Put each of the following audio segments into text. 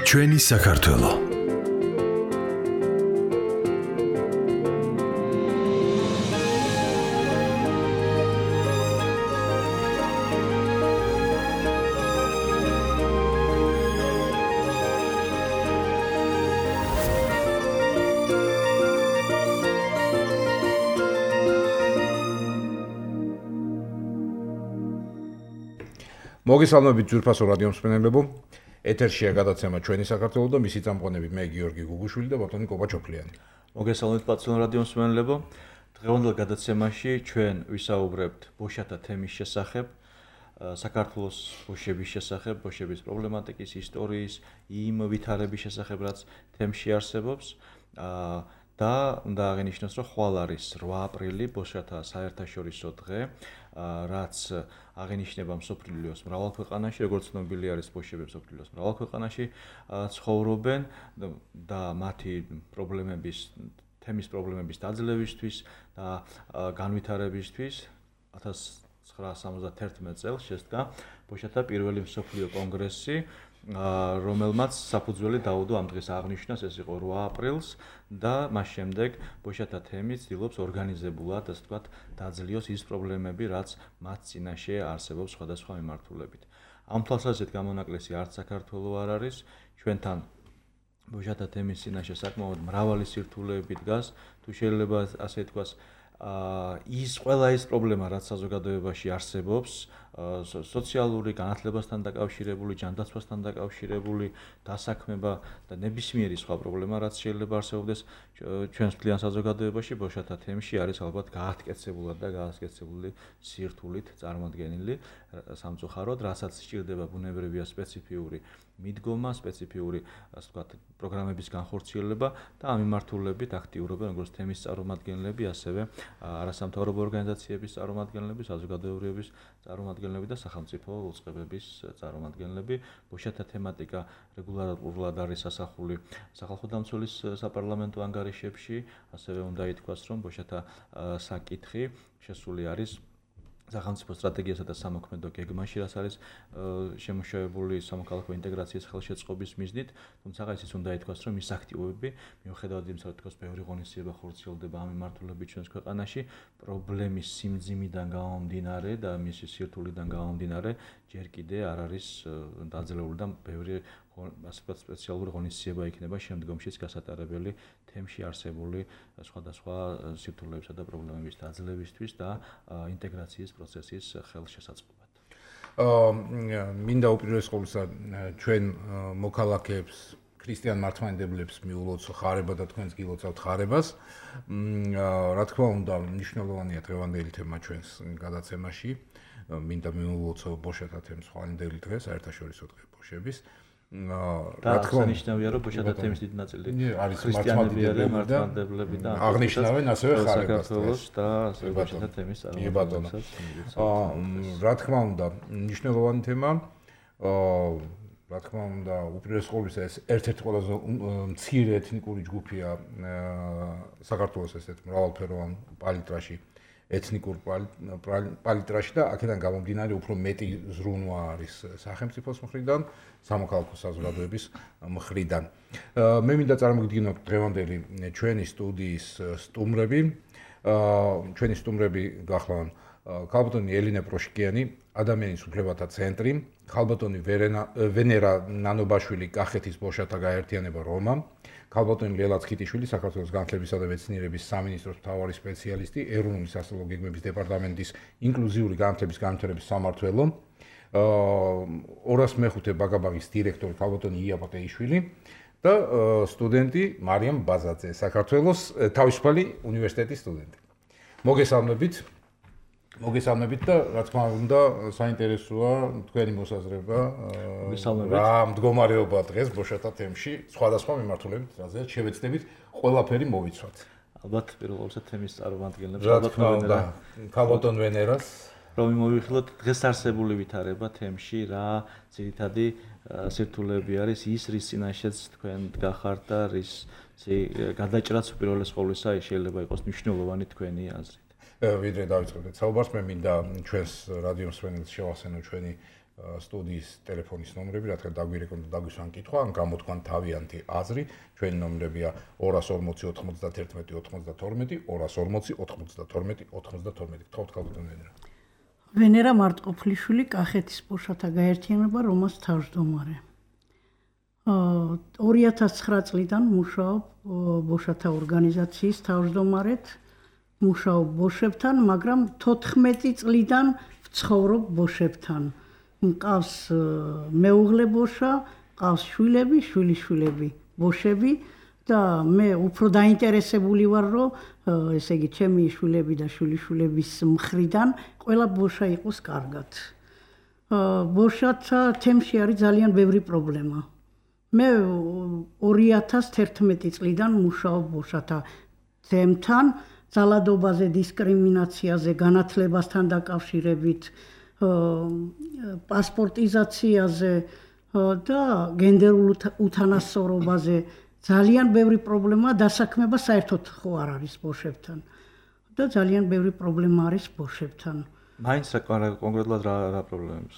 ჩვენი საქართველო. მოგესალმებით ძვირფასო რადიო მსმენელებო. ეთერშია გადაცემა ჩვენი საქართველო და მისი წამყვანები მე გიორგი გუგუშვილი და ბატონი კობაჩოფლიანი. მოგესალმებით პაცient რადიო მსმენელებო. დღევანდელ გადაცემაში ჩვენ ვისაუბრებთ ბოშათა თემის შესახებ, საქართველოს ბოშების შესახებ, ბოშების პრობლემატიკის, ისტორიის, იმ ვითარების შესახებ, რაც თემში არსებობს. და უნდა აღინიშნოს, რომ ხვალ არის 8 აპრილი ბოშათა საერთაშორისო დღე, რაც აღინიშნება მსოფლიოს მრავალ ქვეყანაში, როგორც ცნობილი არის ბოშები მსოფლიოს მრავალ ქვეყანაში ცხოვრობენ და მათი თემის პრობლემების დაძლევისთვის და განვითარებისთვის 1971 წელს შესდგა ბოშათა პირველი მსოფლიო კონგრესი, რომელმაც საფუძველი დაუდო ამ დღეს აღნიშნას, ეს იყო 8 აპრილს და მას შემდეგ ბოშათა თემი ცდილობს ორგანიზებულად, ასე ვთქვათ, დაძლიოს ის პრობლემები, რაც მათ წინაშე არსებობს სხვადასხვა მიმართულებით. ამ თვალსაზრისით გამონაკლისი არც საქართველოს არ არის, ჩვენთან ბოშათა თემის წინაშე საკმაოდ მრავალი სირთულეები დგას, თუ შეიძლება ასე ვთქვას, ყველა ის პრობლემა, რაც საზოგადოებაში არსებობს, სოციალური განათლებასთან დაკავშირებული, ჯანდაცვასთან დაკავშირებული, დასაქმება და ნებისმიერი სხვა პრობლემა, რაც შეიძლება არსებობდეს ჩვენს მთლიან საზოგადოებაში, ბოშათა თემში არის ალბათ გაათკეცებულად და გაასკეცებული სირთულით წარმოდგენილი სამწუხაროდ, რასაც სჭირდება ბუნებრივია სპეციფიური მიდგომა, სპეციფიური, ასე ვთქვათ, პროგრამების განხორციელება და ამ მიმართულებით აქტიურობენ როგორც თემის წარმომადგენლები, ასევე არასამთავრობო ორგანიზაციების წარმომადგენლები, საზოგადოებრივების წარმომადგენლები და სახელმწიფო უწყებების წარმომადგენლები. ბოშათა თემატიკა რეგულარულად არის ასახული სახალხო დამცველის საპარლამენტო ანგარიშებში, ასევე უნდა ითქვას, რომ ბოშათა საკითხი შესული არის სახელმწიფო სტრატეგიასა და სამოქმედო გეგმაში, რაც არის შემუშავებული სამოქალაქო ინტეგრაციის ხელშეწყობის მიზნით, თუმცა ისიც უნდა ითქვას, რომ ის აქტივობები, მიუხედავად იმისა, რომ ბევრი ღონისძიება ხორციელდება ამ მიმართულებით ჩვენს ქვეყანაში, პრობლემის სიმძიმიდან გამომდინარე და მისი სირთულიდან გამომდინარე, ჯერ კიდე არ არის დაძლეული და ბევრი ასე ვთქვათ, სპეციალური ღონისძიება იქნება შემდგომშიც გასატარებელი თემში არსებული სხვადასხვა სირთულეებსა და პრობლემების დაძლევისთვის და ინტეგრაციის პროცესის ხელშესაწყობად. მინდა უპირველეს ყოვლისა ჩვენ მოქალაქეებს, ქრისტიან მართლმადიდებლებს მიულოცო ხარება და თქვენს გილოცავთ ხარებას. რა თქმა უნდა, მნიშვნელოვანია დღევანდელი თემა ჩვენს გადაცემაში. მინდა მიულოცო ბოშათა თემს ხვალინდელი დღე, საერთაშორისო დღე ბოშების. რა თქმა უნდა, ნიშნავია, რომ ბოშათა თემის დიდი ნაწილი არის მართლმადიდებლები და აღნიშნავენ ასევე ხარებას და ბოშათა თემის წარმომადგენლებს. რა თქმა უნდა, მნიშვნელოვანი თემა. რა თქმა უნდა, უპირველეს ყოვლისა ეს ერთ-ერთი ყველაზე მცირე ეთნიკური ჯგუფია საქართველოს ესეთ მრავალფეროვან პალიტრაში. ეთნიკურ პალიტრაში და აქედან გამომდინარე უფრო მეტი ზრუნვა არის სახელმწიფოს მხრიდან, სამოქალაქო საზოგადოების მხრიდან. მე მინდა წარმოგიდგინოთ დღევანდელი ჩვენი სტუდიის სტუმრები. ჩვენი სტუმრები გახლავთ ქალბატონი ელინე პროშკიანი, ადამიანის უფლებათა ცენტრი, ქალბატონი ვენერა ნანობაშვილი, კახეთის ბოშათა გაერთიანება რომა, ქალბატონი ლელა ცხიტიშვილი, საქართველოს განათლებისა და მეცნიერების სამინისტროს მთავარი სპეციალისტი, ეროვნული სასწავლო გეგმების დეპარტამენტის ინკლუზიური განათლების განვითარების სამმართველო, 205 ბაგაბაღის დირექტორი ქალბატონი ია პატეიშვილი და სტუდენტი მარიამ ბაზაძე, საქართველოს თავისუფალი უნივერსიტეტის სტუდენტი. მოგესალმებით და რა თქმა უნდა საინტერესოა თქვენი მოსაზრება რა მდგომარეობა დღეს ბოშათა თემში სხვადასხვა მიმართულებით, რაზეც შევეცდებით ყველაფერი მოვიცვათ. ალბათ პირველ რიგში თემის წარმომადგენლებს ქალბატონ ვენერას რომ მოვიხილოთ დღეს არსებული ვითარება თემში, რა ძირითადი სირთულეები არის ის, რის წინაშეც თქვენ დგახართ და რის გადაჭრაც უპირველეს ყოვლისა შეიძლება იყოს მნიშვნელოვანი თქვენი აზრით. ვიდრე დავიწყებდეთ საუბარს, მე მინდა ჩვენს რადიო მსმენელს შევახსენო ჩვენი სტუდიის ტელეფონის ნომრები, რადგან დაგვირეკონ და დაგვისვან კითხვა, ან გამოთქვან თავიანთი აზრი, ჩვენი ნომრებია 240 91 92, 240 92 92. გთხოვთ ქალბატონ ვენერა. ვენერა მარტყოფლიშვილი, კახეთის ბოშათა გაერთიანება, რომას თავმჯდომარე. 2009 წლიდან მუშაობ ბოშათა ორგანიზაციის თავმჯდომარედ, მუშაობ ბოშებთან, მაგრამ 14 წლიდან ვცხოვრობ ბოშებთან. მყავს მეუღლე ბოშა, მყავს შვილები, შვილიშვილები, ბოშები და მე უფრო დაინტერესებული ვარ, რომ ესე იგი ჩემი შვილები და შვილიშვილების მხრიდან ყველა ბოშა იყოს კარგად. ბოშათა თემში არის ძალიან ბევრი პრობლემა. მე 2011 წლიდან მუშაობ ბოშათა თემთან, ძალადობაზე, დისკრიმინაციაზე, განათლებასთან დაკავშირებით, პასპორტიზაციაზე და გენდერულ უთანასწორობაზე ძალიან ბევრი პრობლემა დასაქმება საერთოდ ხო არ არის ბოშებთან და ძალიან ბევრი პრობლემა არის ბოშებთან. მაინც კონკრეტულად რა პრობლემებს?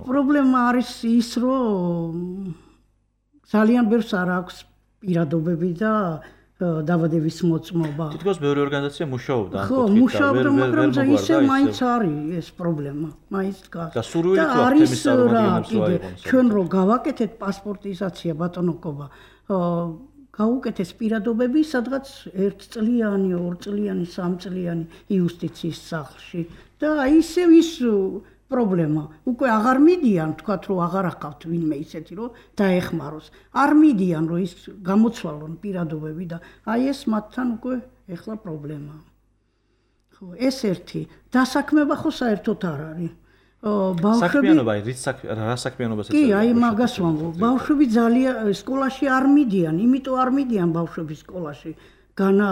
პრობლემა არის ის, რომ ძალიან ბევრს არ აქვს პირადობები და დაბადების მოწმობა. თითქოს ბევრი ორგანიზაცია მუშაობდა ამ კუთხით. ხო, მუშაობდა, მაგრამ ისე მაინც არის ეს პრობლემა. მაინც დგას. და სურვილი თუ აქვს თემის წარმომადგენლებს რა იყოს. ჩვენ რო გავაკეთეთ პასპორტიზაცია ბატონოკობა, გავუკეთეს პირადობები სადღაც 1 წლიანი, 2 წლიანი, 3 წლიანი იუსტიციის სახლში და ისევ ის პრობლემა. უკვე აღარ მიდიან, თქვათ რომ აღარ ახავთ ვინმე ისეთი რომ დაეხმაროს. არ მიდიან რომ ის გამოცვალონ პირადობები და აი ეს მათთან უკვე ეხლა პრობლემაა. ხო, ეს ერთი. დასაქმება ხო საერთოდ არ არის. საქმიანობა, რა საქმიანობას ეწევა? კი, აი მაგას ვამბობ. ბავშვები ძალიან სკოლაში არ მიდიან, იმიტომ არ მიდიან ბავშვები სკოლაში. განა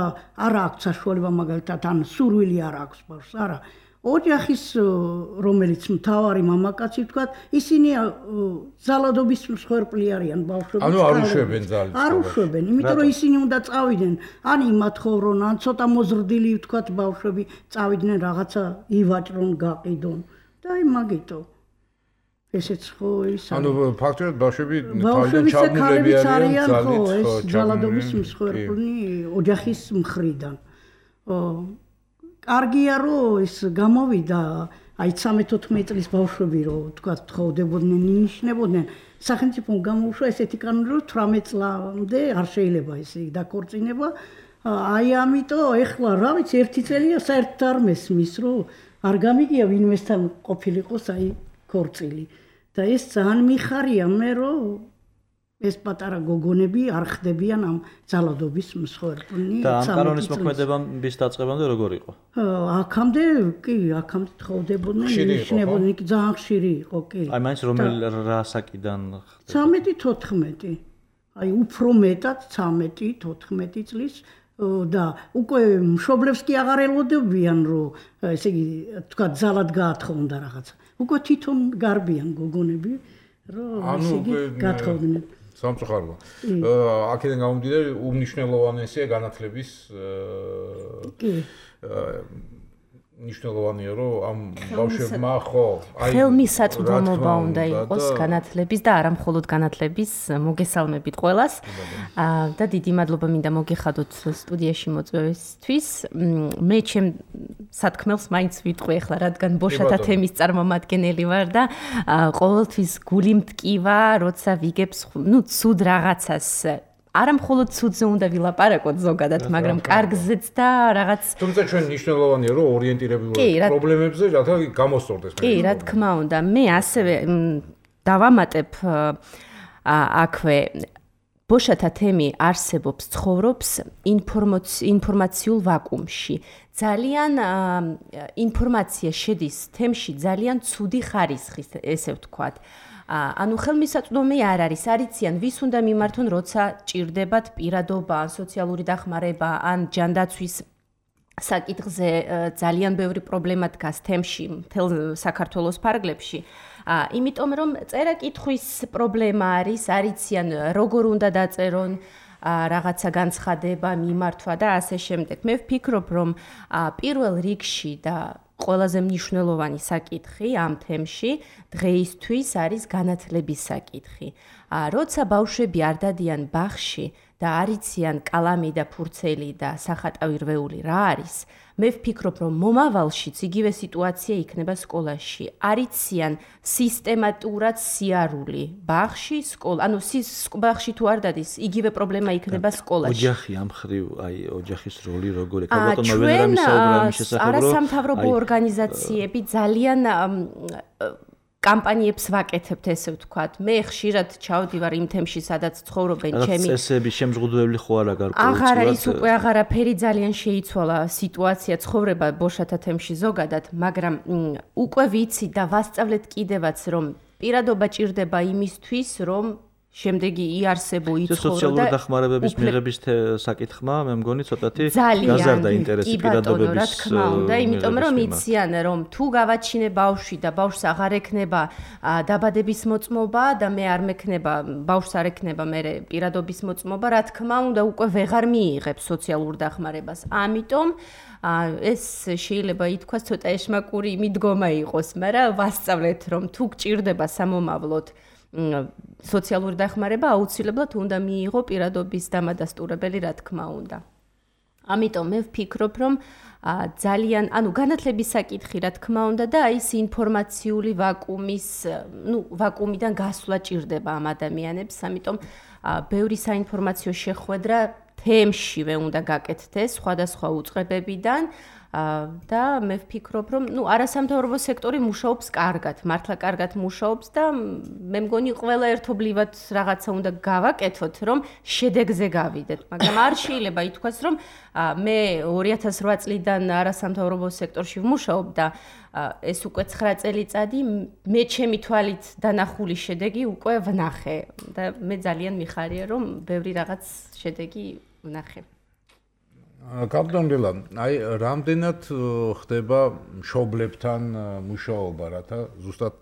არ აქვს საშუალება მაგალითად ან სურვილი არ აქვს ბავშვს, არა. ოჯახის რომელიც მთავარი მამაკაცი ვთქვათ, ისინი ძალადობის მსხვერპლი არიან ბავშვები. ანუ არ უშვებენ ძალით. არ უშვებენ, იმიტომ რომ ისინი უნდა წავიდნენ, ან იმათხოვრონ, ან ცოტა მოზრდილი ვთქვათ ბავშვები წავიდნენ რაღაცა ივაჭრონ, გაყიდონ და აი მაგიტო. ესეც ხო ის არის. ანუ ფაქტობრივად ბავშვები თავიდან ჩაბმულები არიან ძალით ძალადობის მსხვერპლი ოჯახის მხრიდან. კარგია რომ ეს გამოვიდა, აი 13-14 წლის ბავშვები რომ თქვათ თხოვდებოდნენ, ინიშნებოდნენ, სახელმწიფომ გამოუშვა ესეთი კანონი რომ 18 წლამდე არ შეიძლება ესე დაქორწინება. აი ამიტომ ეხლა რა ვიცი, ერთი წელია საერთოდ არ მესმის რომ არ გამიგია ვინმესთან ყოფილიყოს აი ქორწილი. და ეს ძალიან მიხარია მე რომ ეს პატარა გოგონები არ ხდებიან ამ ძალადობის მსხვერპლი. და ამ კანონის მოქმედების დაწყებამდე როგორ იყო? აქამდე კი, აქამდე თხოვდებოდნენ, ინიშნებოდნენ, ძალიან ხშირი იყო, კი. აი მაინც რომელი რა საკიდან 13-14. აი უფრო მეტად 13-14 წლის და უკვე მშობლებს კი აღარ ელოდებიან რომ ესე იგი თქვა ძალად გაათხოვნდა რაღაცა. უკვე თვითონ გარბიან გოგონები რომ ესე იგი გათხოვდნენ. სამწუხაროა. აქედან გამომდინარე უმნიშვნელოვანესია განათლების კი მნიშვნელოვანია რომ ამ ბავშვებმა ხო აი ხელმისაწვდომობა უნდა იყოს განათლების და არა მხოლოდ განათლების მოგესალმებით ყველას და დიდი მადლობა მინდა მოგიხადოთ სტუდიაში მოწვევისთვის მე ჩემ სათქმელს მაინც ვიტყვი ახლა რადგან ბოშათა თემის წარმომადგენელი ვარ და ყოველთვის გული მტკივა როცა ვიგებს ნუ ცუდ რაღაცას არა მხოლოდ ცუდზე უნდა ვილაპარაკოთ ზოგადად, მაგრამ კარგზეც და რაღაც თუმცა ჩვენ მნიშვნელოვანია რომ ორიენტირებულად პრობლემებზე რათა გამოსწორდეს. კი, რა თქმა უნდა. მე ასევე დავამატებ აქვე ბოშათა თემი არსებობს, ცხოვრობს ინფორმაციულ ვაკუუმში. ძალიან ინფორმაცია შედის თემში ძალიან ცუდი ხარისხის, ესე ვთქვათ. ანუ ხელმისაწვდომი არ არის, არიციან ვის უნდა მიმართონ, როცა ჭირდებათ პირადობა, ან სოციალური დახმარება, ან ჯანდაცვის საკითხზე ძალიან ბევრი პრობლემა დგას თემში, მთელ საქართველოს ფარგლებში. იმიტომ რომ წერა-კითხვის პრობლემა არის, არიციან როგორ უნდა დაწერონ რაღაცა განცხადება, მიმართვა და ასე შემდეგ. მე ვფიქრობ, რომ პირველ რიგში და ყველაზე მნიშვნელოვანი საკითხი ამ თემში დღეისთვის არის განათლების საკითხი. როცა ბავშვები არ დადიან ბაღში და არ იციან კალამი და ფურცელი და სახატავი რვეული რა არის, მე ვფიქრობ, რომ მომავალშიც იგივე სიტუაცია იქნება სკოლაში. არ იციან სისტემატურად სიარული ბაღში, ანუ ბაღში თუ არ დადის, იგივე პრობლემა იქნება სკოლაში. ოჯახი ამ ხრივ, ოჯახის როლი როგორ ეკა ბატონმა ვენერამის საუბრა მის შესახებ, რომ არასამთავრობო ორგანიზაციები ძალიან კამპანიებს ვაკეთებთ, ესე ვთქვათ. მე ხშირად ჩავდივარ იმ თემში, სადაც ცხოვრობენ ჩემი წესები, შემზღუდველი ხო არა გარკვეულწილად. აღარა ის უკვე აღარაფერი ძალიან შეიცვალა სიტუაცია ცხოვრება ბოშათა თემში ზოგადად, მაგრამ უკვე ვიცი და ვასწავლეთ კიდევაც, რომ პირადობა ჭირდება იმისთვის, რომ შემდეგი იარსებო იცხოვრო და სოციალური დახმარებების მიღების საკითხმა მე მგონი ცოტათი გაზარდა ინტერესი პირადობების რა თქმა უნდა, იმიტომ რომ იციან რომ თუ გავაჩინე ბავშვი და ბავშვს აღარ ექნება დაბადების მოწმობა და მე არ მექნება ბავშვს არ ექნება მე პირადობის მოწმობა, რა თქმა უნდა უკვე ვეღარ მიიღებ სოციალურ დახმარებას. ამიტომ ეს შეიძლება ითქვას ცოტა ეშმაკური მიდგომა იყოს, მაგრამ ვასწავლეთ რომ თუ გჭირდება სამომავლოდ სოციალური დახმარება აუცილებლად უნდა მიიღო პირადობის დამადასტურებელი, რა თქმა უნდა. ამიტომ მე ვფიქრობ, რომ ძალიან, განათლების საკითხი, რა თქმა უნდა და ის ინფორმაციული ვაკუუმიდან გასვლა ჭირდება ამ ადამიანებს, ამიტომ ბევრი საინფორმაციო შეხვედრა თემშივე უნდა გაკეთდეს სხვადასხვა უწყებებიდან. და მე ვფიქრობ, რომ არასამთავრობო სექტორი მუშაობს კარგად, მართლა კარგად მუშაობს და მე მგონი ყველა ერთობლივად რაღაცა უნდა გავაკეთოთ, რომ შედეგზე გავიდეთ. მაგრამ არ შეიძლება ითქვას, რომ მე 2008 წლიდან არასამთავრობო სექტორში ვმუშაობ და ეს უკვე 9 წელიწადი მე ჩემი თვალით დანახული შედეგი უკვე ვნახე და მე ძალიან მიხარია, რომ ბევრი რაღაც შედეგი ვნახე. კაპიტანელა, რამდენად ხდება მშობლებთან მუშაობა, რათა ზუსტად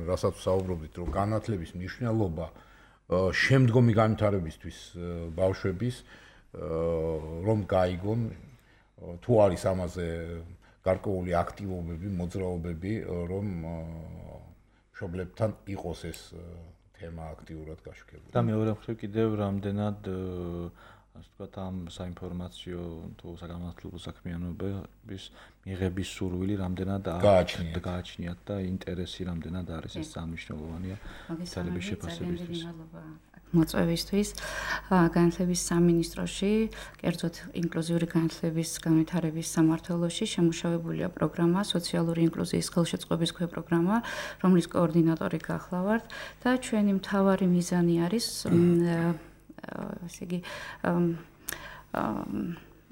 რასაც საუბრობდით, რომ განათლების მნიშვნელობა შემდგომი განვითარებისთვის ბავშვების რომ გაიგონ, თუ არის ამაზე გარკვეული აქტივობები, მოძრაობები, რომ მშობლებთან იყოს ეს თემა აქტიურად გაშუქებული. და მეორე მხრივ კიდევ რამდენად ასე ვთქვათ, ამ საინფორმაციო თუ საგანმანათლებლო საქმიანობის მიღების სურვილი რამდენად გააჩნიათ და ინტერესი რამდენად არის ეს სამნიშნელოვანია თვალების შეფასებისთვის. მოწვევისთვის განათლების სამინისტროში, კერძოდ ინკლუზიური განათლების განვითარების სამმართველოში შემუშავებულია პროგრამა სოციალური ინკლუზიის ხელშეწყობის პროგრამა, რომლის კოორდინატორი გახლავართ და ჩვენი მთავარი მიზანი არის ესე იგი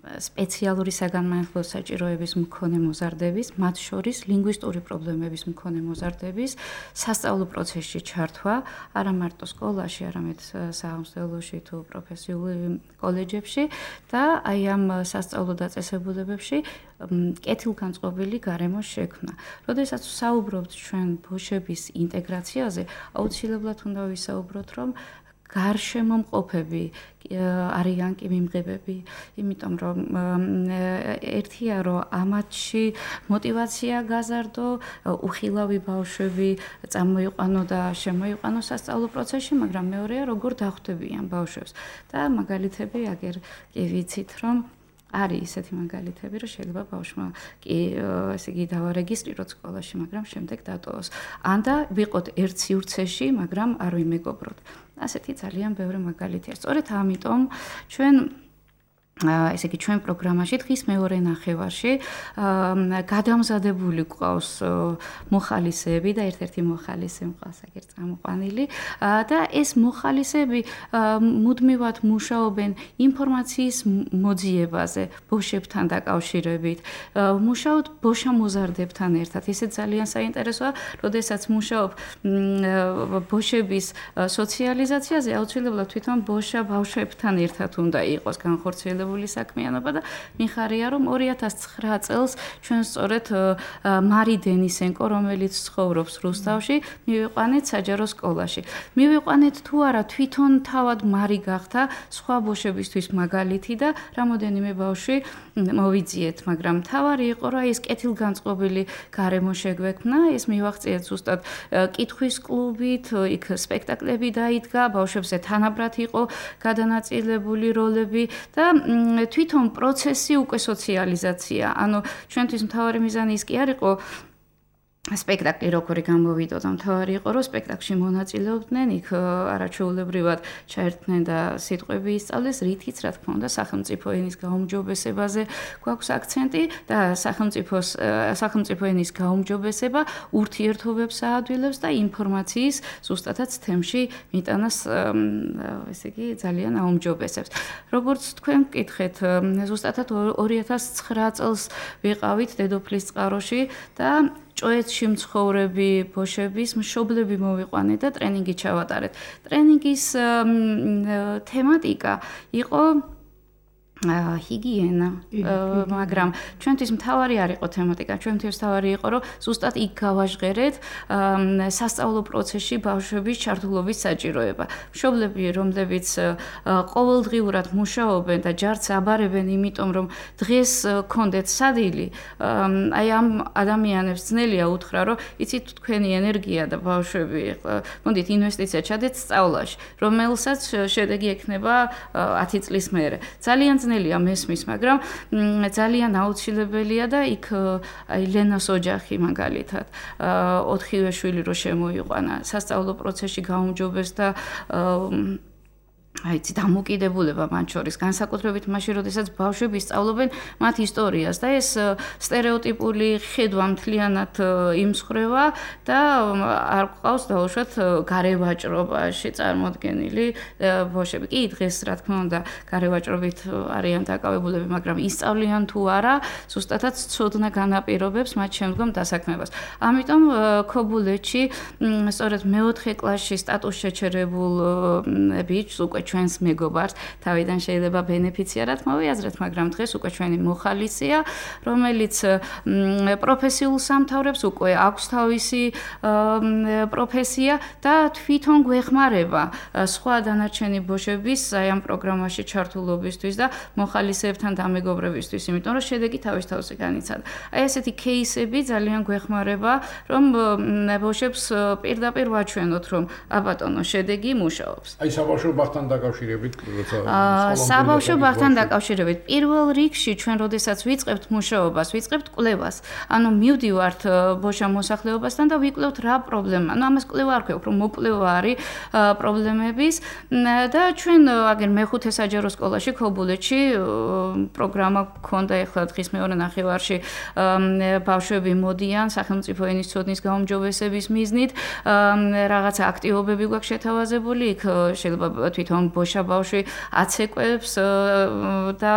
სპეციალური საგანმანათლებლო საჭიროების მქონე მოზარდების, მათ შორის ლინგვისტური პრობლემების მქონე მოზარდების სასწავლო პროცესში ჩართვა, არა მარტო სკოლაში, არამედ საამსთელოში თუ პროფესიულ კოლეჯებში და აი ამ სასწავლო დაწესებულებებში კეთილგანწყობილი გარემო შექმნა. როდესაც საუბრობთ ჩვენ ბავშვების ინტეგრაციაზე, აუცილებლად უნდა ვისაუბროთ, რომ გარშემომყოფები არიან კი მიმღებები, იმიტომ რომ ერთია რომ ამათში мотиваცია გაზარდო, უხილავი ბავშვები წამოიყვანო და შემოიყვანო სასწავლო პროცესში, მაგრამ მეორეა როგორ დახვდებიან ბავშვებს და მაგალითები აგერ კი ვიცით რომ არის ისეთი მაგალითები, რომ შეიძლება ბავშვმა კი ესე იგი დავარეგისტრიროთ სკოლაში, მაგრამ შემდეგ დატოვოს. ან და ვიყოთ ერთ სივრცეში, მაგრამ არ ვიმეგობროთ. ასეთი ძალიან ბევრი მაგალითია. სწორედ ამიტომ ჩვენ ესე იგი ჩვენ პროგრამაში დღის მეორე ნახევარში გადამზადებული გვყავს მოხალისეები და ერთ-ერთი მოხალისე მყავს აგერ წამოყვანილი და ეს მოხალისეები მუდმივად მუშაობენ ინფორმაციის მოძიებაზე ბოშებთან დაკავშირებით, მუშაობთ ბოშა მოზარდებთან ერთად. ესე ძალიან საინტერესოა, როდესაც მუშაობ ბოშების სოციალიზაციაზე, აუცილებლად თვითონ ბოშა ბავშვებთან ერთად უნდა იყოს განხორციელებული განხორციელებული საქმიანობა და მიხარია რომ 2009 წელს ჩვენ სწორედ მარი დენისენკო რომელიც ცხოვრობს რუსთავში მივიყვანეთ საჯარო სკოლაში მივიყვანეთ თუ არა თვითონ თავად მარი გახდა სხვა ბავშვებისთვის მაგალითი და რამოდენიმე ბავშვი მოვიძიეთ მაგრამ თავარი იყო რომ ეს კეთილგანწყობილი გარემო შეგვექმნა ეს მივაღწიეთ ზუსტად კითხვის კლუბით იქ სპექტაკლები დაიდგა ბავშვებზე თანაბრად იყო გადანაწილებული როლები და თვითონ პროცესი უკვე სოციალიზაცია ანუ ჩვენთვის მთავარი მიზანი ის კი არ იყო სპექტაკლი როგორი გამოვიდოდა და მთავარი იყო რომ სპექტაკლში მონაწილეობდნენ იქ არაჩვეულებრივად ჩაერთნენ და სიტყვები ისწავლეს რითიც რა თქმა უნდა სახელმწიფო ენის გაუმჯობესებაზე გვაქვს აქცენტი და სახელმწიფო ენის გაუმჯობესება ურთიერთობებს აადვილებს და ინფორმაციის ზუსტადაც თემში მიტანას ესე იგი ძალიან აუმჯობესებს როგორც თქვენ მკითხეთ ზუსტადად 2009 წელს ვიყავით დედოფლის წყაროში და ჭოეთში მცხოვრები ბოშების მშობლები მოვიყვანეთ და ტრენინგი ჩავატარეთ. ტრენინგის თემატიკა იყო ჰიგიენა, მაგრამ ჩვენთვის მთავარი არ იყო თემატიკა, ჩვენთვის მთავარი იყო, რომ ზუსტად იქ გავაჟღერეთ სასწავლო პროცესში ბავშვების ჩართულობის საჭიროება. მშობლები, რომლებიც ყოველდღიურად მუშაობენ და ჯარს აბარებენ, იმიტომ რომ დღეს გქონდეთ სადილი, აი ამ ადამიანებს ძნელია უთხრა, რომ იცით თქვენი ენერგია და ბავშვები, მოდით ინვესტიცია ჩადეთ სწავლაში, რომელსაც შედეგი ექნება 10 წლის მერე. ძალიან ძნელია მესმის, მაგრამ ძალიან აუცილებელია და იქ აი ლენას ოჯახი მაგალითად 4-ვე შვილი რო შემოიყვანა სასწავლო პროცესში გაუმჯობეს და აი დამოკიდებულება მათ შორის განსაკუთრებით მაშინ როდესაც ბავშვები სწავლობენ მათ ისტორიას და ეს სტერეოტიპული ხედვა მთლიანად იმსხრევა და არ ყავს დაუშვათ გარევაჭრობაში წარმოდგენილი ბავშვები. კი დღეს რა თქმა უნდა გარევაჭრობით არიან დაკავებულები, მაგრამ ისწავლიან თუ არა ზუსტადად ცოდნა განაპირობებს მათ შემდგომ დასაქმებას. ამიტომ ქობულეთში სწორედ მეოთხე კლასში სტატუს შეჩერებულ ბიჭს უკვე ჩვენს მეგობარს თავიდან შეიძლება ბენეფიციარად მოვიაზრეთ, მაგრამ დღეს უკვე ჩვენი მოხალისია, რომელიც პროფესიულ სამთავრებს უკვე აქვს თავისი პროფესია და თვითონ გვეხმარება სხვა დანარჩენი ბოშების აი ამ პროგრამაში ჩართულობისთვის და მოხალისეებთან დამეგობრებისთვის, იმიტომ რომ შედეგი თავის თავზე განიცადა. აი ესეთი кейსები ძალიან გვეხმარება, რომ ბოშებს პირდაპირ ვაჩვენოთ, რომ აბატონო შედეგი მუშაობს. აი საბავშვო ბაღთან დაკავშირებით, როცა საბავშვო ბაღთან დაკავშირებით პირველ რიგში ჩვენ როდესაც ვიწყებთ მუშაობას, ვიწყებთ კვლევას. ანუ მივდივართ ბოშა მოსახლეობასთან და ვიკვლევთ რა პრობლემა. ანუ ამას კვლევა არ ქვია, უფრო მოკვლევა არის პრობლემების და ჩვენ აგერ მეხუთე საჯარო სკოლაში ქობულეთში პროგრამა გქონდა ეხლა დღის მეორე ნახევარში ბავშვები მოდიან სახელმწიფო ენის ცოდნის გაუმჯობესების მიზნით რაღაცა აქტივობები გვაქვს შეთავაზებული იქ შეიძლება თვითონ ბოშა ბავშვი აცეკვებს და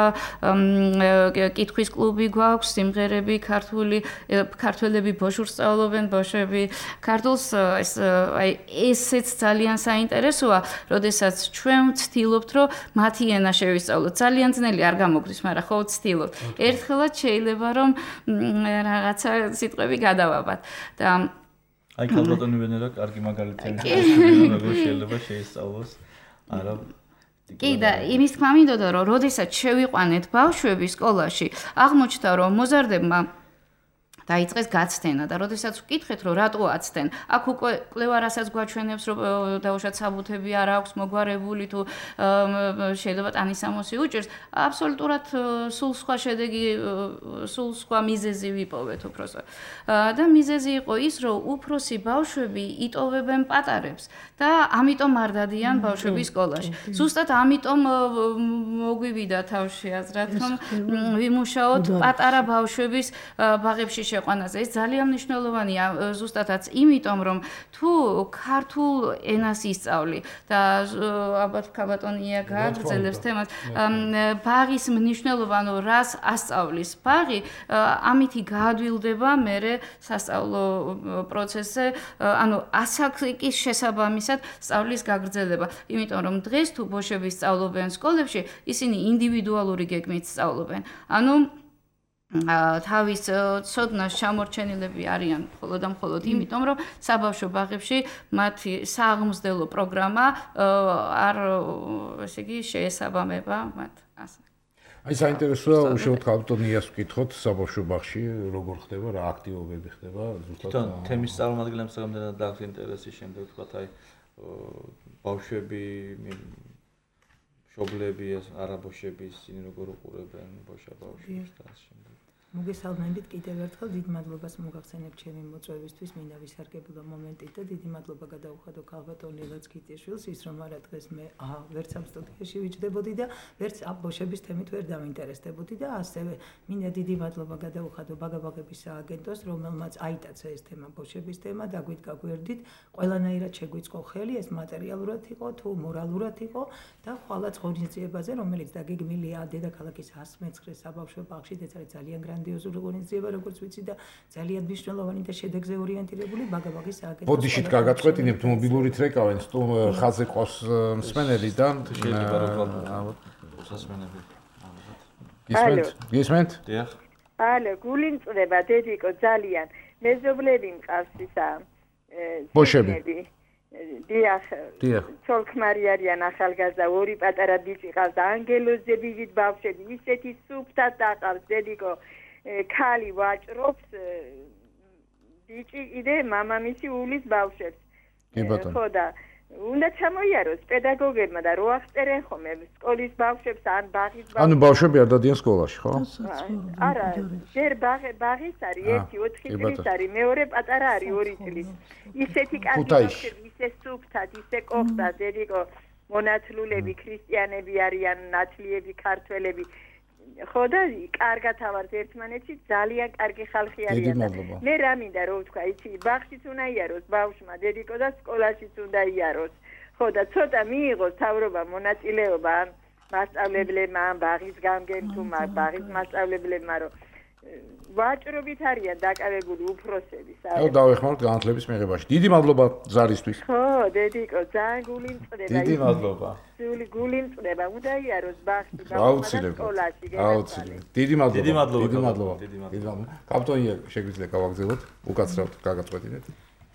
კითხვის კლუბი გვაქვს სიმღერები ქართველები ბოშურს სწავლობენ ბოშები ქართულს აი ესეც ძალიან საინტერესოა როდესაც ჩვენ ვცდილობთ რომ მათი ენა შევისწავლოთ ძალიან ძნელი არ გამოგვდის მაგრამ ხო ვცდილობთ ერთხელაც შეიძლება რომ რაღაცა სიტყვები გადავაბათ და აი ქალბატონი ვენერა კარგი მაგალითია როგორ შეიძლება შეისწავლოს არა კი და იმის თქმა მინდოდა რომ როდესაც შევიყვანეთ ბავშვები სკოლაში აღმოჩნდა რომ მოზარდებმა დაიწყეს გაცდენა და როდესაც ვკითხეთ რომ რატო აცდენ აქ უკვე კვლევა რასაც გვაჩვენებს რომ დაუშვათ საბუთები არ აქვს მოგვარებული თუ შეიძლება ტანისამოსი უჭირს აბსოლუტურად სულ სხვა შედეგი სულ სხვა მიზეზი ვიპოვეთ უბრალოდ და მიზეზი იყო ის რომ უფროსი ბავშვები იტოვებენ პატარებს და ამიტომ არ დადიან ბავშვები სკოლაში ზუსტად ამიტომ მოგვივიდა თავში აზრად რომ ვიმუშაოთ პატარა ბავშვების ბაღებში შეყვანაზე. ეს ძალიან მნიშვნელოვანია ზუსტადაც იმიტომ, რომ თუ ქართულ ენას ისწავლი და ალბათ ქაბატონია გააგრძელებს თემას, ბაღის მნიშვნელობა, ანუ რას ასწავლის ბაღი, ამითი გაადვილდება მერე სასწავლო პროცესზე, ანუ ასაკის შესაბამისად სწავლის გაგრძელება. იმიტომ რომ დღეს თუ ბოშები სწავლობენ სკოლებში, ისინი ინდივიდუალური გეგმით სწავლობენ. ანუ თავის ცოდნას ჩამორჩენილები არიან მხოლოდ და მხოლოდ იმიტომ, რომ საბავშვო ბაღებში მათი სააღმსდელო პროგრამა არ, ესე იგი, შეესაბამება მათ ასე. აი საინტერესოა უშუალოდ ქალბატონიას ვკითხოთ საბავშვო ბაღში როგორ ხდება, რა აქტივობები ხდება ზუსტად თემის წარმომადგენლებს რამდენად დააქვს ინტერესი შემდეგ ვთქვათ აი ბავშვები მშობლები არაბოშები ისინი როგორ უყურებენ ბავშვებს და ასე შემდეგ. მოგესალმებით კიდევ ერთხელ დიდ მადლობას მოგახსენებ ჩემი მოწვევისთვის მინდა ვისარგებლო მომენტით და დიდი მადლობა გადაუხადო ქალბატონ ლილაც კიტიშვილს ის რომ არა დღეს მე ვერც ამ სტუდიაში ვიჯდებოდი და ვერც ბოშების თემით ვერ დავინტერესდებოდი და ასევე მინდა დიდი მადლობა გადაუხადო ბაგაბაღების სააგენტოს რომელმაც აიტაცა ეს თემა ბოშების თემა დაგვით გაგვერდით ყველანაირად შეგვიწყო ხელი ეს მატერიალურად იყო თუ მორალურად იყო და ხვალაც ღონისძიებაზე რომელიც დაგეგმილია დედაქალაქის 119 საბავშვო ბაღში ეს არის ძალიან გრანდიოზული ღონისძიება როგორც ვიცი და ძალიან მნიშვნელოვანი და შედეგზე ორიენტირებული ბაგაბაღის სააგენტოს ბოდიშით გაგაწყვეტინებთ მობილურით რეკავენ ხაზზე ყავს მსმენელი და შეიძლება რომ მოსასმენები გისმენთ? დიახ. ალო, გული მწდება დედიკო ძალიან. მეზობლები მყავს ისა ბოშები. დიახ. ცოლ-ქმარი არიან ახალგაზრდა, ორი პატარა ბიჭი ყავს და ანგელოზზე ბიჭით ბავშვები, ისეთი სუფთად დაყავს დედიკო. ქალი ვაჭრობს ბიჭი იდე მამამისი ულის ბავშვებს. კი ბატონო. ხო და უნდა ჩამოიაროს პედაგოგებმა და რო აღწერენ ხოლმე სკოლის ბავშვებს ან ბაღის ბავშვებს. ანუ ბავშვები არ დადიან სკოლაში, ხო? არა, ჯერ ბაღის არის 1-4 წლის არის, მეორე პატარა არის 2 წლის. ისეთი კაცი ბავშვები, ისე სუფთად, ისე კოხტად, დედიკო მონათლულები, ქრისტიანები არიან, ნათლიები, ქართველები. ხო და კარგად ავართ ერთმანეთში ძალიან კარგი ხალხი არიან. მე რა მინდა რომ ვთქვა, იცი, ბაღშიც უნდა იაროს ბავშვმა, დედიკო და სკოლაშიც უნდა იაროს. ხო და ცოტა მიიღოს თავრობა მონაწილეობა მასწავლებლებმა, ბაღის გამგემთუმა, ბაღის მასწავლებლებმა, რომ ვაჭრობით არიან დაკავებული უფროსები. აუ დავეხმაროთ განათლების მიღებაში. დიდი მადლობა ზარისთვის. ხო, დედიკო, ძალიან გული მწყდება. დიდი მადლობა. გული მწყდება, უნდა იაროს ბაღში, სკოლაში. აუცილებლად. დიდი მადლობა. დიდი მადლობა. კაპიტონია შეგვიძლია გავაგზავნოთ, უკაცრავთ გაგაწყვეტინეთ.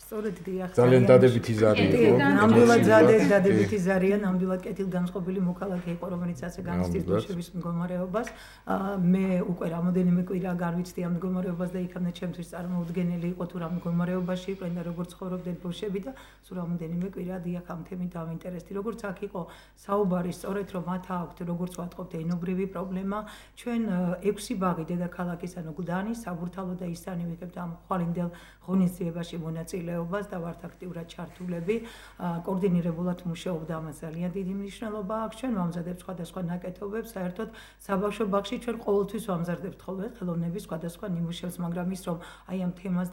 სწორედ დიახ. ძალიან დადებითი ზარი იყო. ნამდვილად დადებითი ზარია, ნამდვილად კეთილგანწყობილი მოქალაქე იყო, რომელიც ასე განიცდის ბოშების მდგომარეობას. მე უკვე რამოდენიმე კვირა განვიცდი ამ მდგომარეობას და იქამდე ჩემთვის წარმოუდგენელი იყო თუ რა მდგომარეობაში იყვნენ და როგორ ცხოვრობდნენ ბოშები და სულ რამოდენიმე კვირა დიახ ამ თემით დავინტერესდი. როგორც აქ იყო საუბარი სწორედ რომ მათ აქვთ როგორც ვატყობთ ენობრივი პრობლემა, ჩვენ 6 ბაღი დედაქალაქის ანუ გუდანის, საბურთალო და ისანი ვიღებთ ამ ხვალინდელ ღონისძიებაში მონაწილეობას და ვართ აქტიურად ჩართულები. კოორდინირებულად მუშაობდა ამას ძალიან დიდი მნიშვნელობა აქვს. ჩვენ ვამზადებთ სხვადასხვა ნაკეთობებს, საერთოდ საბავშვო ბაღში ჩვენ ყოველთვის ვამზადებთ ხოლმე ხელოვნების სხვადასხვა ნიმუშებს, მაგრამ ის რომ აი ამ თემას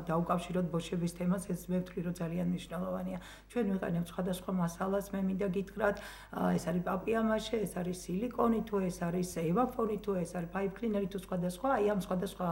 დაუკავშიროთ ბოშების თემას, ეს მე ვთვლი რომ ძალიან მნიშვნელოვანია. ჩვენ ვიყენებთ სხვადასხვა მასალას, მე მინდა გითხრათ, ეს არის პაპიამაშე, ეს არის სილიკონი თუ ეს არის ევაფონი თუ ეს არის ფაიფ კლინერი თუ სხვადასხვა, აი ამ სხვადასხვა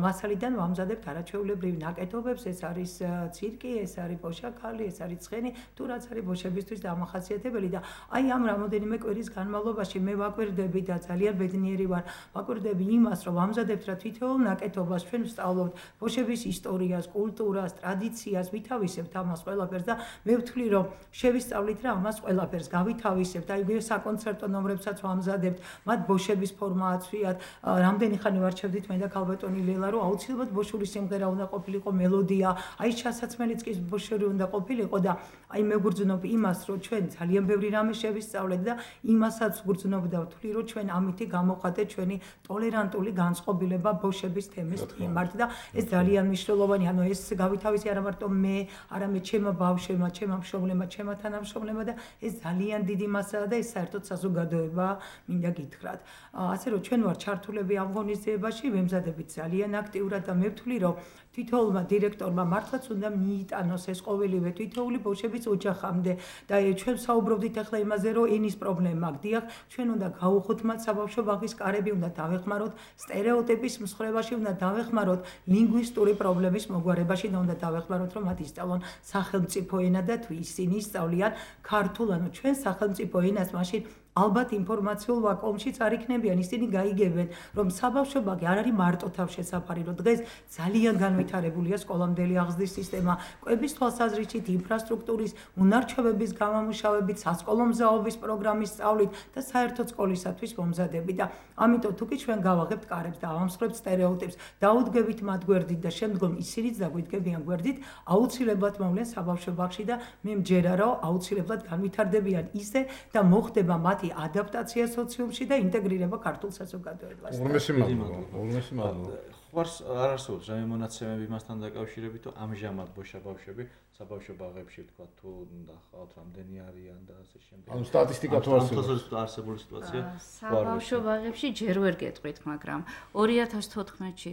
მასალიდან ვამზადებთ არაჩვეულებრივ ნაკეთობებს, ეს არის ცირკი, ეს არის ბოშაქალი, ეს არის ცხენი, თუ რაც არის ბოშებისთვის დამახასიათებელი და აი ამ რამოდენიმე კვირის განმავლობაში მე ვაკვირდები და ძალიან ბედნიერი ვარ, ვაკვირდები იმას, რომ ვამზადებთ რა თითოეულ ნაკეთობას ჩვენ ვსწავლობთ ბოშების ისტორიას, კულტურას, ტრადიციას, ვითავისებთ ამას ყველაფერს და მე ვთვლი, რომ შევისწავლით რა ამას ყველაფერს, გავითავისებთ, აი საკონცერტო ნომრებსაც ვამზადებთ, მათ ბოშების ფორმა აცვიათ, რამდენი ხანი ვარჩევდით მე და ქალბატონი ლელა, რომ აუცილებლად ბოშური სიმღერა უნდა ყოფილიყო მელოდია, აი სასაცმელიც კი ბოშური უნდა ყოფილიყო და აი მეგრძნობ იმას, რომ ჩვენ ძალიან ბევრი რამე შევისწავლეთ და იმასაც ვგრძნობ და ვთვლი, რომ ჩვენ ამითი გამოვხატეთ ჩვენი ტოლერანტული განწყობილება ბოშების თემის მიმართ და ეს ძალიან მნიშვნელოვანია. ანუ ეს გავითავისი არა მარტო მე, არამედ ჩემო ბავშვებმა, ჩემო მშობლებმა, ჩემო თანამშრომლებმა და ეს ძალიან დიდი მასაა და ეს საერთოდ საზოგადოება მინდა გითხრათ. ასე რომ ჩვენ ვართ ჩართულები ამ ღონისძიებაში, ვემზადებით ძალიან აქტიურად და მე ვთვლი, რომ თითოეულმა დირექტორმა მართლაც უნდა მიიტანოს ეს ყოველივე თითოეული ბავშვების ოჯახამდე და ჩვენ საუბრობდით ახლა იმაზე, რომ ენის პრობლემა გდიახ, ჩვენ უნდა გავუხოთ მათ საბავშვო ბაღის კარები, უნდა დავეხმაროთ სტერეოტიპის მსხრევაში, უნდა დავეხმაროთ ლინგვისტური პრობლემის მოგვარებაში და უნდა დავეხმაროთ, რომ მათ ისწავლონ სახელმწიფო ენა და თუ ისინი ისწავლიან ქართულ, ანუ ჩვენ სახელმწიფო ენას, მაშინ ალბათ ინფორმაციულ ვაკუუმშიც არ იქნებიან, ისინი გაიგებენ, რომ საბავშვო ბაღი არ არის მარტო თავშესაფარი, რომ დღეს ძალიან განვითარებულია სკოლამდელი აღზრდის სისტემა, კვების თვალსაზრისით, ინფრასტრუქტურის, უნარჩვევების გამომუშავებით, სასკოლო მზაობის პროგრამის სწავლით და საერთოდ სკოლისათვის მომზადებით და ამიტომ თუ კი ჩვენ გავაღებთ კარებს და ავამსხვრებთ სტერეოტიპს, დაუდგებით მათ გვერდით და შემდგომ ისინიც დაგვიდგებიან გვერდით, აუცილებლად მოვლენ საბავშვო ბაღში და მე მჯერა, რომ აუცილებლად განვითარდებიან ისე და მოხდება მათი ადაპტაცია სოციუმში და ინტეგრირება ქართულ საზოგადოებასთან. ულმესი მადლობა. ხوارს არ არსებობს რამე მონაცემები მასთან დაკავშირებით, თუ ამჟამად ბავშვები საბავშვო ბაღებში თქვა თუ ნახავთ რამდენი არიან და ასე შემდეგ. ანუ სტატისტიკა თუ არსებული სიტუაცია საბავშვო ბაღებში ჯერ ვერ გეტყვით, მაგრამ 2014-ში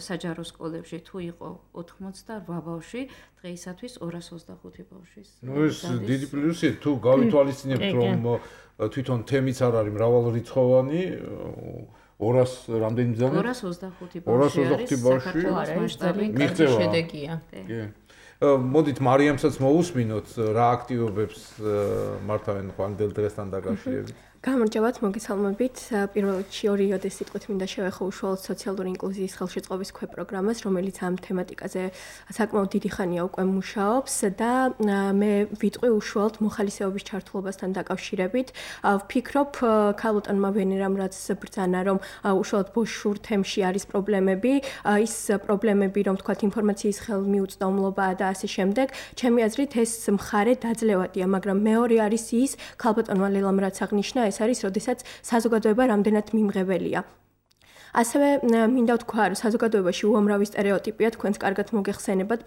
საჯარო სკოლებში თუ იყო 88 ბავშვი, დღეისათვის 225 ბავშვის. ნუ ეს დიდი პლუსი თუ გავითვალისწინებთ, რომ თვითონ თემიც არ არის მრავალრიცხოვანი 200 რამდენი მზანი 225 ბავშვი არის საქართველოს მასშტაბით შედეგია. კი. მოდით მარიამსაც მოусმინოთ რა აქტივობებს მართავენ ხვალინდელ დღესთან დაკავშირებით. გამარჯობათ, მოგესალმებით. პირველ რიგში ორი იოდეს სიტყვით მინდა შევეხო უშუალოდ სოციალური ინკლუზიის ხელშეწყობის ქვეპროგრამას, რომელიც ამ თემატიკაზე საკმაოდ დიდი ხანია უკვე მუშაობს და მე ვიტყვი უშუალოდ მოხალისეობის ჩართულობასთან დაკავშირებით. ვფიქრობ, ქალბატონმა ვენერამ რაც ბრძანა, რომ უშუალოდ ბოშურ თემში არის პრობლემები, ის პრობლემები, რომ თქვათ ინფორმაციის ხელმიუწვდომლობა და ასე შემდეგ, ჩემი აზრით ეს მხარე დაძლევადია, მაგრამ მეორე არის ის, ქალბატონმა ლელამ რაც აღნიშნა, ეს არის, როდესაც საზოგადოება რამდენად მიმღებელია. ასევე მინდა ვთქვა, რომ საზოგადოებაში უამრავი სტერეოტიპია, თქვენს კარგად მოგეხსენებათ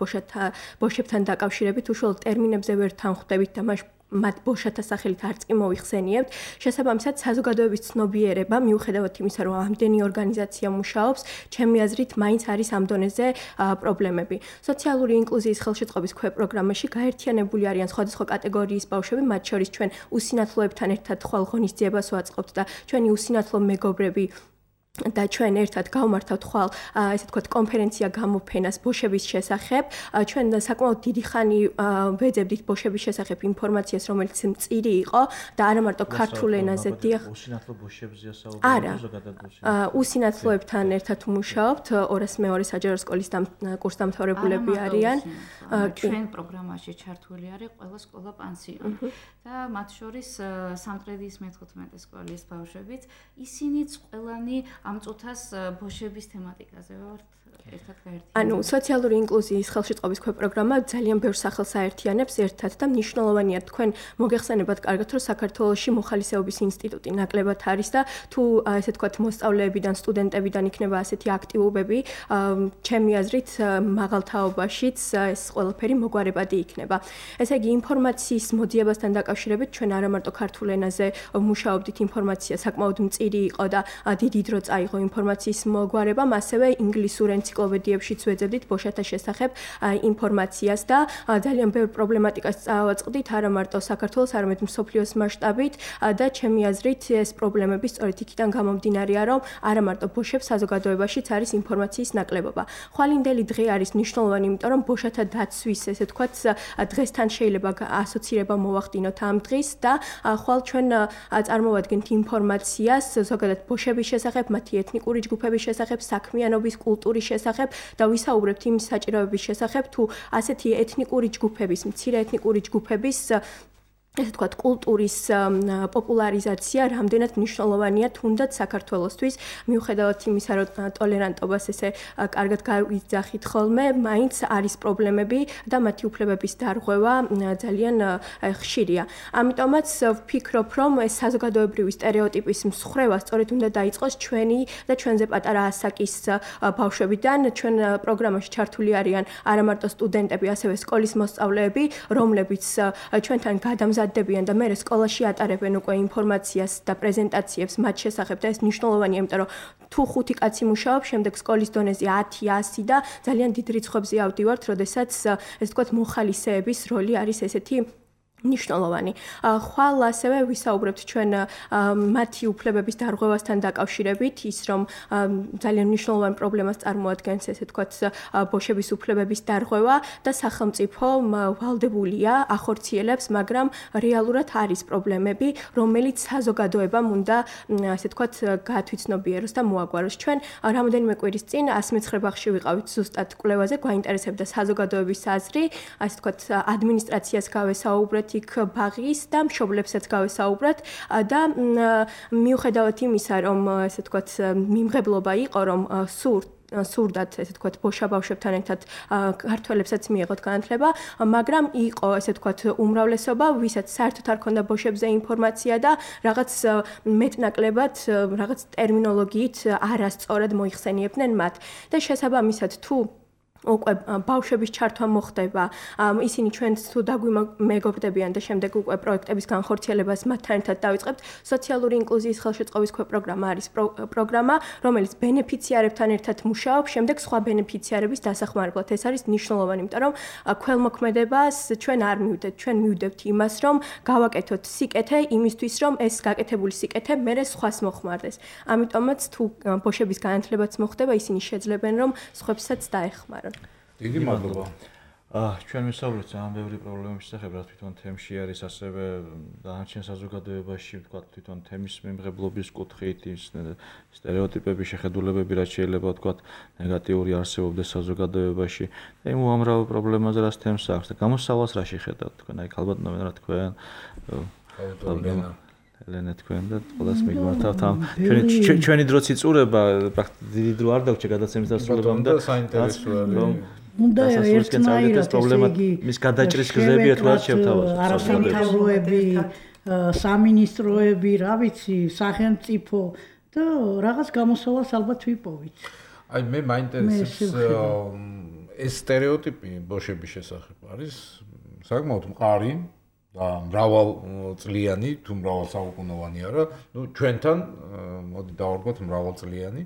ბოშებთან დაკავშირებით, უშუალოდ ტერმინებზე ვერ თანხვდებით და მათ ბოშათა სახელით არც კი მოიხსენიებთ. შესაბამისად, საზოგადოების ცნობიერება, მიუხედავად იმისა, რომ ამდენი ორგანიზაცია მუშაობს, ჩემი აზრით, მაინც არის ამ დონეზე პრობლემები. სოციალური ინკლუზიის ხელშეწყობის ქვეპროგრამაში გაერთიანებული არიან სხვადასხვა კატეგორიის ბავშვები, მათ შორის ჩვენ უსინათლოებთან ერთად ხვალ ღონისძიებას ვაწყობთ და ჩვენი უსინათლო მეგობრები და ჩვენ ერთად გავმართავთ ხვალ ესე ვთქვათ კონფერენცია გამოფენას ბოშების შესახებ. ჩვენ საკმაოდ დიდი ხანი ვეძებდით ბოშების შესახებ ინფორმაციას, რომელიც მწირი იყო და არა მარტო ქართულ ენაზე. დიახ. უსინათლო ბოშებზეა საუბარი ზოგადად ბოშები. უსინათლოებთან ერთად მუშაობთ, 202 საჯარო სკოლის კურსდამთავრებულები არიან. ჩვენ პროგრამაში ჩართული არის ყველა სკოლა პანსიონი და მათ შორის სამტრედიის მე-15 სკოლის ბავშვებიც, ისინიც ყველანი ამ წუთას ბოშების თემატიკაზე ვართ ერთად გაერთიანებული. ანუ სოციალური ინკლუზიის ხელშეწყობის ქვეპროგრამა ძალიან ბევრ სახელს აერთიანებს ერთად და მნიშვნელოვანია თქვენ მოგეხსენებათ კარგად, რომ საქართველოში მოხალისეობის ინსტიტუტი ნაკლებად არის და თუ ესე ვთქვათ მოსწავლეებიდან, სტუდენტებიდან იქნება ასეთი აქტივობები, ჩემი აზრით მაღალ თაობაშიც ეს ყველაფერი მოგვარებადი იქნება. ესე იგი ინფორმაციის მოძიებასთან დაკავშირებით ჩვენ არა მარტო ქართულ ენაზე მუშაობდით, ინფორმაცია საკმაოდ მწირი იყო და დიდი დრო წაიღო ინფორმაციის მოგვარებამ, ასევე ინგლისურ ენციკლოპედიებშიც ვეძებდით ბოშათა შესახებ ინფორმაციას და ძალიან ბევრ პრობლემატიკას წავაწყდით არა მარტო საქართველოს, არამედ მსოფლიოს მასშტაბით და ჩემი აზრით ეს პრობლემები სწორედ იქიდან გამომდინარეა, რომ არა მარტო ბოშებს საზოგადოებაშიც არის ინფორმაციის ნაკლებობა. ხვალინდელი დღე არის მნიშვნელოვანი, იმიტომ რომ ბოშათა დაცვის ესე ვთქვათ დღესთან შეიძლება ასოცირება მოვახდინოთ ამ დღის და ხვალ ჩვენ წარმოვადგენთ ინფორმაციას ზოგადად ბოშების შესახებ, მათი ეთნიკური ჯგუფების შესახებ, საქმიანობის კულტურის შესახებ და ვისაუბრებთ იმ საჭიროების შესახებ, თუ ასეთი ეთნიკური ჯგუფების, მცირე ეთნიკური ჯგუფების ესე ვთქვათ, კულტურის პოპულარიზაცია რამდენად მნიშვნელოვანია თუნდაც საქართველოსთვის, მიუხედავად იმისა, რომ ტოლერანტობას ესე კარგად გავიძახით ხოლმე, მაინც არის პრობლემები და მათი უფლებების დარღვევა ძალიან ხშირია. ამიტომაც ვფიქრობ, რომ ეს საზოგადოებრივი სტერეოტიპის მსხრევა სწორედ უნდა დაიწყოს ჩვენი და ჩვენზე პატარა ასაკის ბავშვებიდან. ჩვენ პროგრამაში ჩართული არიან არა მარტო სტუდენტები, ასევე სკოლის მოსწავლეები, რომლებიც ჩვენთან გადამზადდებიან და მე სკოლაში ატარებენ უკვე ინფორმაციას და პრეზენტაციებს მათ შესახებ და ეს მნიშვნელოვანია, იმიტომ რომ თუ 5 კაცი მუშაობს, შემდეგ სკოლის დონეზე 10, 100 და ძალიან დიდ რიცხვებზე ავდივართ, როდესაც ესე ვთქვათ მოხალისეების როლი არის ესეთი ნიშნულოვანი. ხვალ ასევე ვისაუბრებთ ჩვენ მათი უფლებების დარღვევასთან დაკავშირებით, ის რომ ძალიან მნიშვნელოვან პრობლემას წარმოადგენს, ესე ვთქვათ, ბოშების უფლებების დარღვევა და სახელმწიფო ვალდებულია ახორციელებს, მაგრამ რეალურად არის პრობლემები, რომელიც საზოგადოებამ უნდა, ესე ვთქვათ, გაათვითცნობიეროს და მოაგვაროს. ჩვენ რამოდენიმე კვირის წინ 109 ბაღში ვიყავით ზუსტად კვლევაზე, გვაინტერესებდა საზოგადოების აზრი, ასე ვთქვათ, ადმინისტრაციას გავესაუბრეთ იქ ბაღის და მშობლებსაც გავესაუბრათ და მიუხედავად იმისა, რომ ესე ვთქვათ, მიმღებლობა იყო, რომ სურდათ, ესე ვთქვათ, ბავშვებთან ერთად ქართველებსაც მიიღოთ განათლება, მაგრამ იყო, ესე ვთქვათ, უმრავლესობა, ვისაც საერთოდ არ ქონდა ბავშვებზე ინფორმაცია და რაღაც მეტნაკლებად, რაღაც ტერმინოლოგიით არასწორად მოიხსენიებდნენ მათ. და შესაბამისად, თუ უკვე ბავშვების ჩართვა მოხდება, ისინი ჩვენს თუ დაგვიმეგობრდებიან და შემდეგ უკვე პროექტების განხორციელებას მათთან ერთად დავიწყებთ. სოციალური ინკლუზიის ხელშეწყობის პროგრამა არის პროგრამა, რომელიც ბენეფიციარებთან ერთად მუშაობს, შემდეგ სხვა ბენეფიციარების დასახმარებლად. ეს არის მნიშვნელოვანი, იმიტომ რომ ქველმოქმედებას ჩვენ არ მივდეთ, ჩვენ მივდევთ იმას, რომ გავაკეთოთ სიკეთე იმისთვის, რომ ეს გაკეთებული სიკეთე მერე სხვას მოხმარდეს. ამიტომაც თუ ბოშების განათლებაც მოხდება, ისინი შეძლებენ, რომ სხვებსაც დაეხმარონ. დიდი მადლობა. ჩვენ ვისაუბრეთ ძალიან ბევრი პრობლემების შესახებ, რაც თვითონ თემში არის, ასევე დანარჩენ საზოგადოებაში, ვთქვათ, თვითონ თემის მიმღებლობის კუთხით, ის სტერეოტიპები, შეხედულებები, რაც შეიძლება ვთქვათ, ნეგატიური არსებობდეს საზოგადოებაში და იმ უამრავ პრობლემაზე, რაც თემს აქვს და გამოსავალს რა შეხედავთ თქვენ? აი, ქალბატონო, რა თქვენ? ელენე თქვენ და ყველას მიგმართავთ ამ ჩვენი დროც იწურება, დიდი დრო არ დაგჭირ გადაცემის დასრულებამდე და საინტერესოა რომ უნდა ერთნაირად მის გადაჭრის გზებია თუ არ შევთავაზოთ. არასამთავროები, სამინისტროები, რა ვიცი, სახელმწიფო და რაღაც გამოსავალს ალბათ ვიპოვით. აი მე მაინტერესებს ეს სტერეოტიპი ბოშების შესახებ არის საკმაოდ მყარი და მრავალწლიანი თუ მრავალსაუკუნოვანი არა, ჩვენთან მოდი დავარქვათ მრავალწლიანი.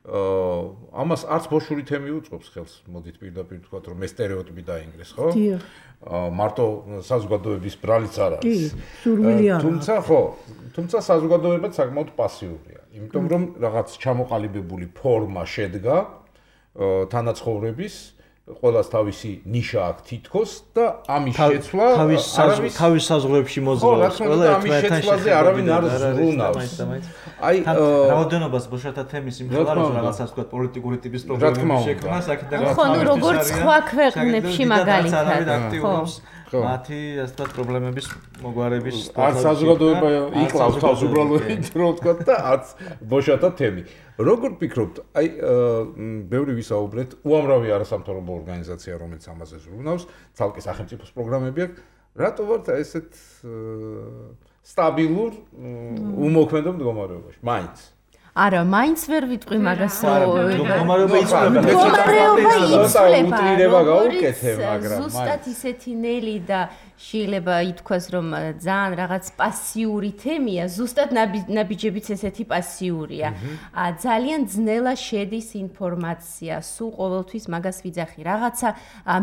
ამას არც ბოშური თემი უწყობს ხელს, მოდით პირდაპირ ვთქვათ, რომ ეს სტერეოტიპი დაინგრეს, ხო? მარტო საზოგადოების ბრალიც არ არის. სურვილი არა. თუმცა საზოგადოება საკმაოდ პასიურია, იმიტომ რომ რაღაც ჩამოყალიბებული ფორმა შედგა თანაცხოვრების ყველას თავისი ნიშა აქვს თითქოს და ამის შეცვლა თავის საზღვრებში მოძრაობს ყველა ერთმანეთთან შეცვლაზე არავინ არ ზრუნავს. აი რაოდენობას ბოშათა თემის იმხელაროს რაღაცას თქვა პოლიტიკური ტიპის პრობლემები შექმნა საკითხი და ხო, როგორც სხვა ქვეყნებში მაგალითად აქტიურობს მათი ასე ვთქვათ პრობლემების მოგვარების არც საზოგადოება იკლავს თავს უბრალოდ რო ვთქვა და არც ბოშათა თემი. როგორ ფიქრობთ, აი ბევრი ვისაუბრეთ, უამრავი არასამთავრობო ორგანიზაცია, რომელიც ამაზე ზრუნავს, ცალკე სახელმწიფოს პროგრამები აქვს, რატო ვართ ესეთ სტაბილურ უმოქმედო მდგომარეობაში? მაინც არა, მაინც ვერ ვიტყვი მაგას. მდგომარეობა იცვლება. უტრირება გაუკეთე, მაგრამ ზუსტად ისეთი ნელი და შეიძლება ითქვას, რომ ძალიან რაღაც პასიური თემია, ზუსტად ნაბიჯებიც ესეთი პასიურია. ძალიან ძნელა შედის ინფორმაცია, სულ ყოველთვის მაგას ვიძახი. რაღაცა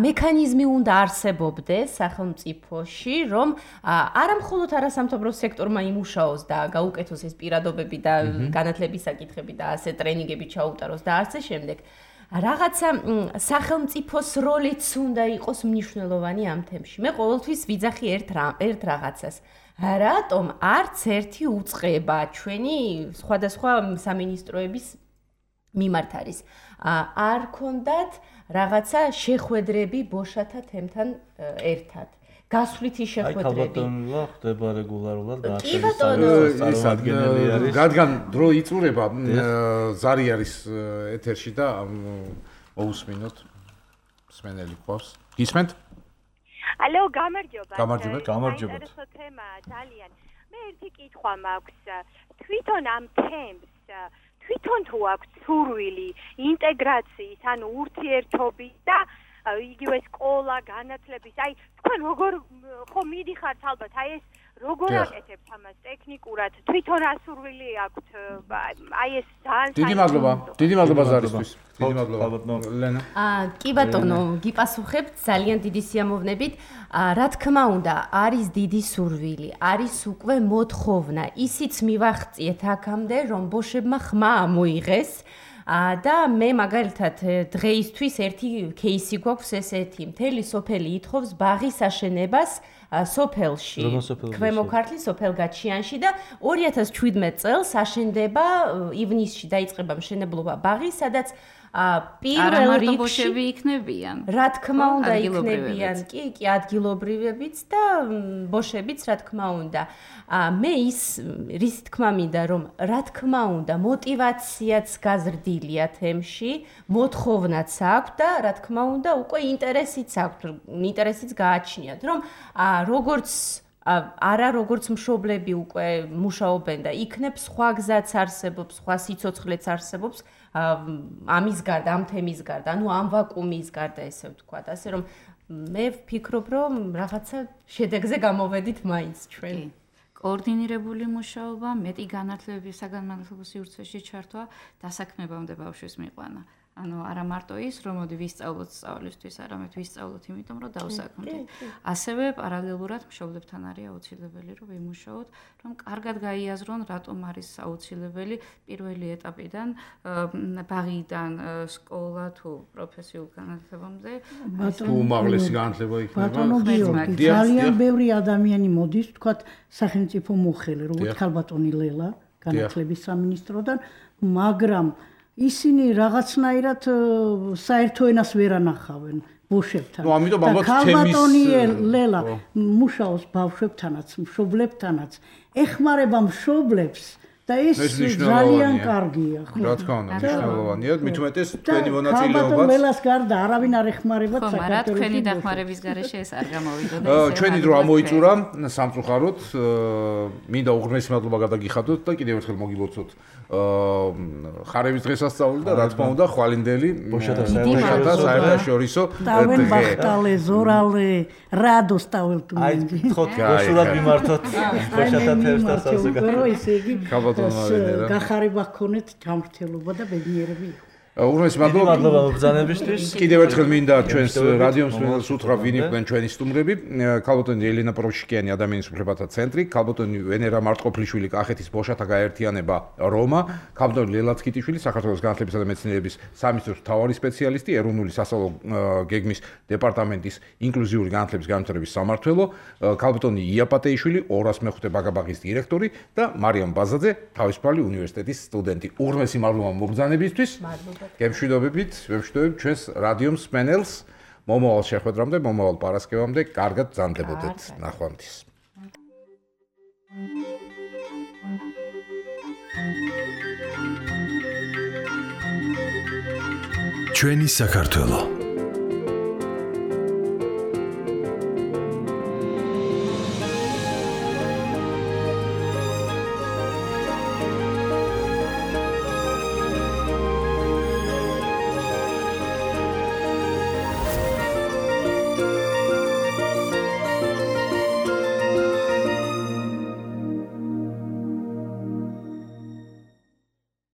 მექანიზმი უნდა არსებობდეს სახელმწიფოში, რომ არა მხოლოდ არასამთავრობო სექტორმა იმუშაოს და გაუკეთოს ეს პირადობები და განათლების საკითხები და ასე ტრენინგები ჩაუტაროს და ასე შემდეგ. რაღაცა სახელმწიფოს როლიც უნდა იყოს მნიშვნელოვანი ამ თემში. მე ყოველთვის ვიძახი ერთ რაღაცას. რატომ არც ერთი უწყება ჩვენი სხვადასხვა სამინისტროების მიმართ არის. არ ქონდათ რაღაცა შეხვედრები ბოშათა თემთან ერთად. გასვლითი შეხვედრები. აი ქალბატონლა ხდება რეგულარულად კი ბატონო, ის ადგილი არის. რადგან დრო იწურება, ზარი არის ეთერში და მოусმინოთ. მსმენელი ყავს. გისმენთ? ალო, გამარჯობა. გამარჯობა. ეს თემა ძალიან. მე ერთი კითხვა მაქვს. თვითონ ამ თემს თვითონ თუ აქვს სურვილი ინტეგრაციის, ანუ ურთიერთობის და იგივე სკოლა, განათლების, აი თქვენ როგორ ხო მიდიხართ ალბათ, აი ეს როგორ აკეთებთ ამას ტექნიკურად, თვითონ ასურვილი აქვთ, აი ეს ძალიან დიდი მადლობა ზარისთვის. დიდი მადლობა ლენა. კი ბატონო, გიპასუხებთ ძალიან დიდი სიამოვნებით. რა თქმა უნდა, არის დიდი სურვილი, არის უკვე მოთხოვნა. ისიც მივახციეთ აქამდე, რომ ბოშებმა ხმა ამოიღეს. და მე მაგალითად დღეისთვის ერთი кейსი გვაქვს ესეთი. მთელი სოფელი ითხოვს ბაღის აშენებას სოფელში. ქვემო ქართლის სოფელ გაჩიანში და 2017 წელს აშენდება ივნისში დაიწყება მშენებლობა ბაღის, სადაც პირველ რიგში ბოშები იქნებიან. რა თქმა უნდა იქნებიან, კი, ადგილობრივებიც და ბოშებიც რა თქმა უნდა. მე რის თქმა მინდა რომ რა თქმა უნდა мотиваციაც გაზრდილია თემში, მოთხოვნაც აქვს და რა თქმა უნდა უკვე ინტერესიც აქვს, ინტერესიც გააჩნიათ, რომ როგორც მშობლები უკვე მუშაობენ და იქნებ სხვა გზაც არსებობს, სხვა სიცოცხლეც არსებობს ამის გარდა, ამ თემის გარდა, ანუ ამ ვაკუუმის გარდა ესე ვთქვათ, ასე რომ მე ვფიქრობ რომ რაღაცა შედეგზე გამოვედით მაინც ჩვენ. კოორდინირებული მუშაობა, მეტი განათლებების საგანმანათლებლო სივრცეში ჩართვა, დასაქმებამდე ბავშვის მიყვანა. ანუ არა მარტო ის, რომ მოდი ვისწავლოთ სწავლისთვის, არამედ ვისწავლოთ იმიტომ, რომ დავსაქმდით. ასევე პარალელურად მშობლებთან არის აუცილებელი, რომ ვიმუშაოთ, რომ კარგად გაიაზრონ, რატომ არის აუცილებელი პირველი ეტაპიდან, ბაღიდან სკოლა თუ პროფესიულ განათლებამდე. თუ უმაღლესი განათლება იქნება. ბატონო გიორგი, ძალიან ბევრი ადამიანი მოდის, თქვათ, სახელმწიფო მოხელე, როგორც ქალბატონი ლელა, განათლების სამინისტროდან, მაგრამ ისინი რაღაცნაირად საერთო ენას ვერ ანახავენ ბოშებთან. ნუ ამიტომ ალბათ თემის ქალბატონი ლელა მუშაობს ბავშვებთანაც, მშობლებთანაც, ეხმარება მშობლებს და ეს ძალიან კარგია, ხო? რა თქმა უნდა, მნიშვნელოვანია. მით უმეტეს თქვენი მონაწილეობაც. ქალბატონ ლელას გარდა არავინ არ ეხმარებათ საქართველოს. ხო, მაგრამ თქვენი დახმარების გარეშე ეს არ გამოვიდოდა. ჩვენი დრო ამოიწურა სამწუხაროდ. მინდა უღრმესი მადლობა გადაგიხადოთ და კიდევ ერთხელ მოგილოცოთ ხარების დღესასწაული და რა თქმა უნდა ხვალინდელი ბოშათა საერთაშორისო დავენ ბახტალე, ზორალე, რადოს ტაველტუნენგი. აი, ხო, გასულად მიმართოთ ბოშათა თემს და ისე იგი გახარება გქონეთ ჯანმრთელობა და ბედნიერები იყო. უღრმესი მადლობა მობრძანებისთვის. კიდევ ერთხელ მინდა ჩვენს რადიო მსმენელს უთხრა ვინ იყვნენ ჩვენი სტუმრები. ქალბატონი ელენა პროვშიკიანი ადამიანის უფლებათა ცენტრი, ქალბატონი ვენერა მარტყოფლიშვილი კახეთის ბოშათა გაერთიანება რომა, ქალბატონი ლელა ცკიტიშვილი საქართველოს განათლებისა და მეცნიერების სამინისტროს მთავარი სპეციალისტი, ეროვნული სასწავლო გეგმის დეპარტამენტის ინკლუზიური განათლების განვითარების სამმართველო, ქალბატონი იაპატეიშვილი 205 ბაგაბაღის დირექტორი და მარიამ ბაზაძე თავისუფალი უნივერსიტეტის სტუდენტი. უღრმესი მადლობა მობრძანებისთვის. გემშვიდობებით, ვემშვიდობებ ჩვენს რადიო მსმენელს. მომავალ შეხვედრამდე, მომავალ პარასკევამდე, კარგად ბრძანდებოდეთ. ნახვამდის. ჩვენი საქართველო